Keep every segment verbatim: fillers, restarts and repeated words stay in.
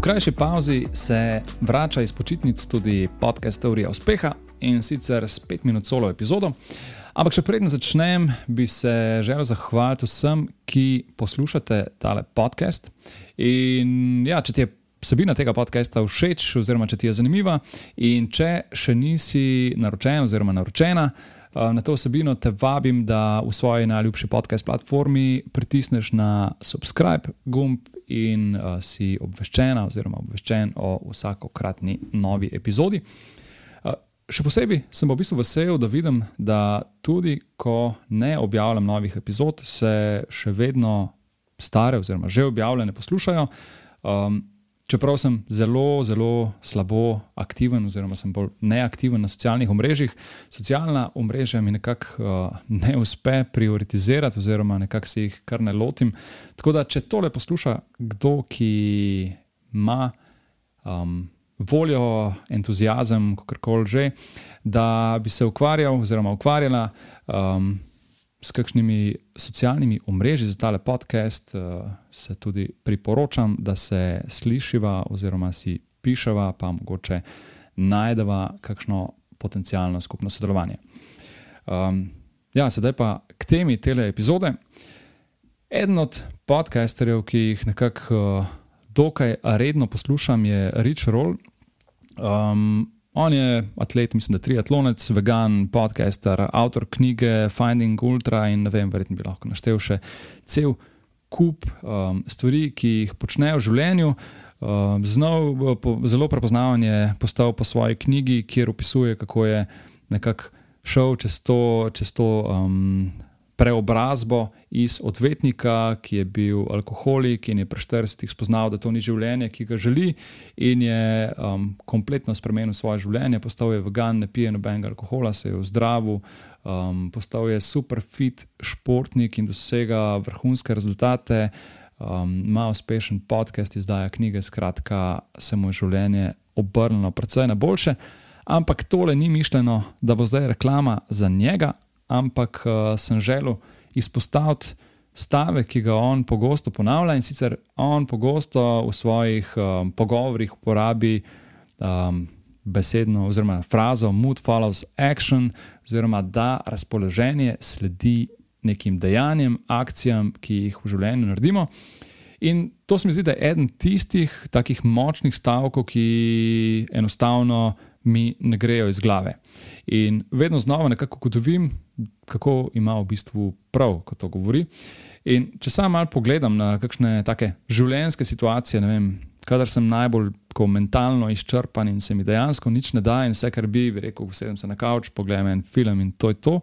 krajši pauzi se vrača iz počitnic tudi podcast Teorija uspeha in sicer s pet minut solo epizodo. Ampak še preden začnem, bi se želel zahvaliti vsem, ki poslušate tale podcast. In ja, če ti je vsebina tega podcasta všeč oziroma če ti je zanimiva in če še nisi naročen oziroma naročena na to vsebino, te vabim, da v svoji najljubši podcast platformi pritisneš na subscribe gumb in uh, si obveščena oziroma obveščen o vsakokratni novi epizodi. Uh, še posebej sem v bistvu vesel, da vidim, da tudi ko ne objavljam novih epizod, se še vedno stare oziroma že objavljene poslušajo. Um, Čeprav sem zelo, zelo slabo aktiven oziroma sem bolj neaktiven na socialnih omrežjih, socialna omrežja mi nekako uh, ne uspe prioritizirati oziroma nekako si jih kar ne lotim. Tako da, če tole posluša kdo, ki ima um, voljo, entuziazem, kakorkoli že, da bi se ukvarjal oziroma ukvarjala um, s kakšnimi socialnimi omrežji za tale podcast, se tudi priporočam, da se slišiva oziroma si piševa, pa mogoče najdeva kakšno potencialno skupno sodelovanje. Um, ja, sedaj pa k temi tele epizode. Eden od podcasterjev, ki jih nekako uh, dokaj redno poslušam, je Rich Roll. Um, On je atlet, mislim, da triatlonec, vegan, podcaster, avtor knjige Finding Ultra in ne vem, verjetno bi lahko naštel še cel kup um, stvari, ki jih počne v življenju. Um, znov po, zelo prepoznaven je postal po svoji knjigi, kjer opisuje, kako je nekako šel čez to, čez to um, preobrazbo iz odvetnika, ki je bil alkoholik in je pri štiridesetih spoznal, da to ni življenje, ki ga želi, in je um, kompletno spremenil svoje življenje, postal je vegan, ne pije nobenega alkohola, se je ozdravil, um, postal je super fit športnik in dosega vrhunske rezultate, um, ima uspešen podcast, izdaja knjige, skratka se mu je življenje obrnilo precej na boljše, ampak tole ni mišljeno, da bo zdaj reklama za njega, ampak uh, sem želel izpostaviti stavek, ki ga on pogosto ponavlja, in sicer on pogosto v svojih um, pogovorih uporabi um, besedno oziroma frazo mood follows action, oziroma da razpoloženje sledi nekim dejanjem, akcijam, ki jih v življenju naredimo. In to se mi zdi, da je eden tistih takih močnih stavkov, ki enostavno mi ne grejo iz glave. In vedno znova nekako ugotovim, kako ima v bistvu prav, ko to govori. In če sam malo pogledam na kakšne take življenjske situacije, ne vem, kadar sem najbolj tako mentalno izčrpan in se mi dejansko nič ne da in vse, kar bi, bi rekel, sedem se na kavč, pogledam en film in to je to,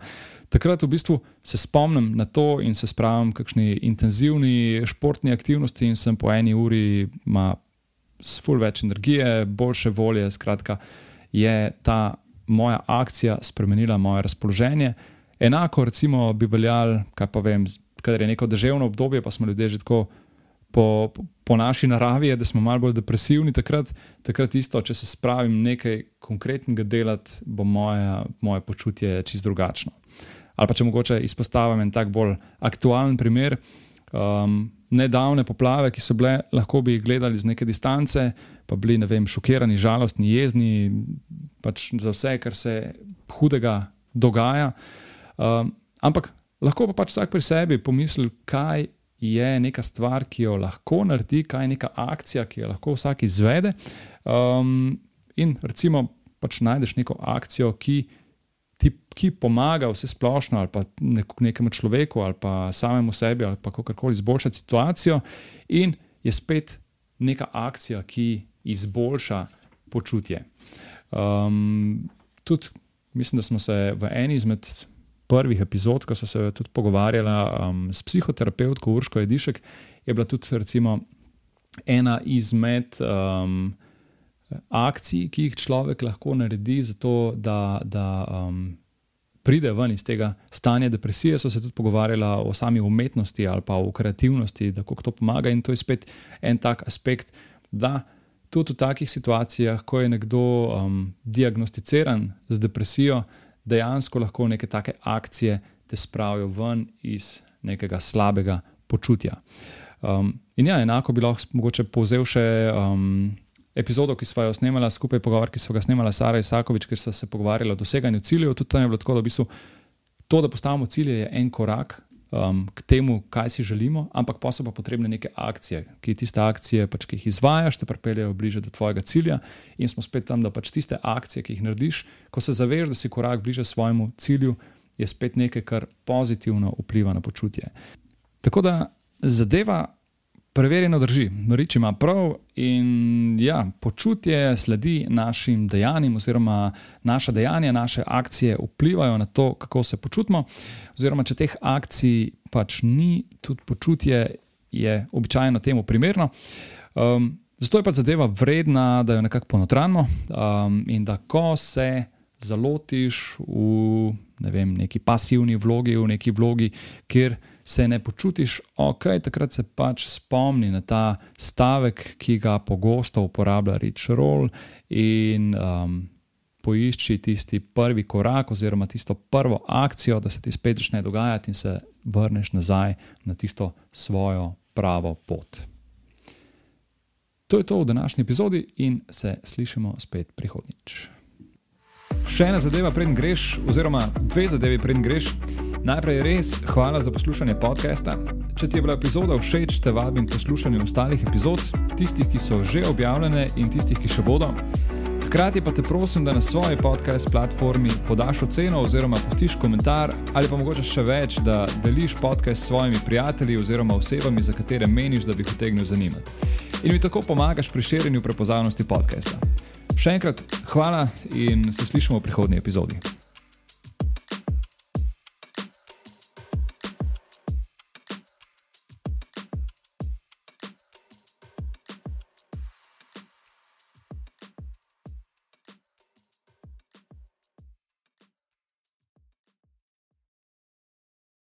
takrat v bistvu se spomnim na to in se spravim kakšni intenzivni športni aktivnosti in sem po eni uri ima ful več energije, boljše volje, skratka, je ta moja akcija spremenila moje razpoloženje. Enako recimo bi veljal, kaj pa vem, kadar je neko deževno obdobje, pa smo ljudje že tako po, po, po naši naravi, da smo malo bolj depresivni, takrat, takrat isto, če se spravim nekaj konkretnega delati, bo moje, moje počutje čisto drugačno. Ali pa če mogoče izpostavim en tak bolj aktualen primer, um, nedavne poplave, ki so bile, lahko bi jih gledali z neke distance, pa bili, ne vem, šokirani, žalostni, jezni, pač za vse, kar se hudega dogaja. Um, ampak lahko pa pač vsak pri sebi pomisli, kaj je neka stvar, ki jo lahko naredi, kaj je neka akcija, ki jo lahko vsak izvede. Um, in recimo pač najdeš neko akcijo, ki Ti, ki pomaga vse splošno ali pa nek, nekemu človeku ali pa samemu sebi ali pa kakorkoli izboljšati situacijo in je spet neka akcija, ki izboljša počutje. Um, tudi mislim, da smo se v eni izmed prvih epizod, ko so se tudi pogovarjala um, s psihoterapevtko Urško Jedišek, je bila tudi recimo ena izmed um, akcij, ki jih človek lahko naredi za to, da, da um, pride ven iz tega stanja depresije. So se tudi pogovarjala o sami umetnosti ali pa o kreativnosti, da kako to pomaga, in to je spet en tak aspekt, da tudi v takih situacijah, ko je nekdo um, diagnosticiran z depresijo, dejansko lahko neke take akcije te spravijo ven iz nekega slabega počutja. Um, in ja, enako bi lahko mogoče povzel še um, epizodo, ki sva jo snemala skupaj, pogovor, ki sva ga snemala Sara Isakovič, kjer sva se pogovarjala o doseganju ciljev. Tudi tam je bilo tako, da v bistvu to, da postavimo cilje, je en korak um, k temu, kaj si želimo, ampak pa so pa potrebne neke akcije, ki tiste akcije, pač, ki jih izvajaš, te pripeljejo bliže do tvojega cilja in smo spet tam, da pač tiste akcije, ki jih narediš, ko se zaveš, da si korak bliže svojemu cilju, je spet nekaj, kar pozitivno vpliva na počutje. Tako da zadeva preverjeno drži, Rič ima prav in ja, počutje sledi našim dejanjem oziroma naša dejanja, naše akcije vplivajo na to, kako se počutimo, oziroma če teh akcij pač ni, tudi počutje je običajno temu primerno. Um, zato je pač zadeva vredna, da jo nekako ponotranimo um, in da ko se zalotiš v ne vem, neki pasivni vlogi, v neki vlogi, kjer se ne počutiš ok, takrat se pač spomni na ta stavek, ki ga pogosto uporablja Rich Roll in um, poišči tisti prvi korak oziroma tisto prvo akcijo, da se ti spet začne dogajati in se vrneš nazaj na tisto svojo pravo pot. To je to v današnji epizodi in se slišimo spet prihodnjič. Še ena zadeva, preden greš, oziroma dve zadevi, preden greš. Najprej res hvala za poslušanje podcasta. Če ti je bila epizoda všeč, te vabim k poslušanju ostalih epizod, tistih, ki so že objavljene in tistih, ki še bodo. Hkrati pa te prosim, da na svoji podcast platformi podaš oceno oziroma pustiš komentar ali pa mogoče še več, da deliš podcast s svojimi prijatelji oziroma osebami, za katere meniš, da bi jih utegnil zanimati. In mi tako pomagaš pri širjenju prepoznavnosti podcasta. Še enkrat hvala in se slišimo v prihodnji epizodi.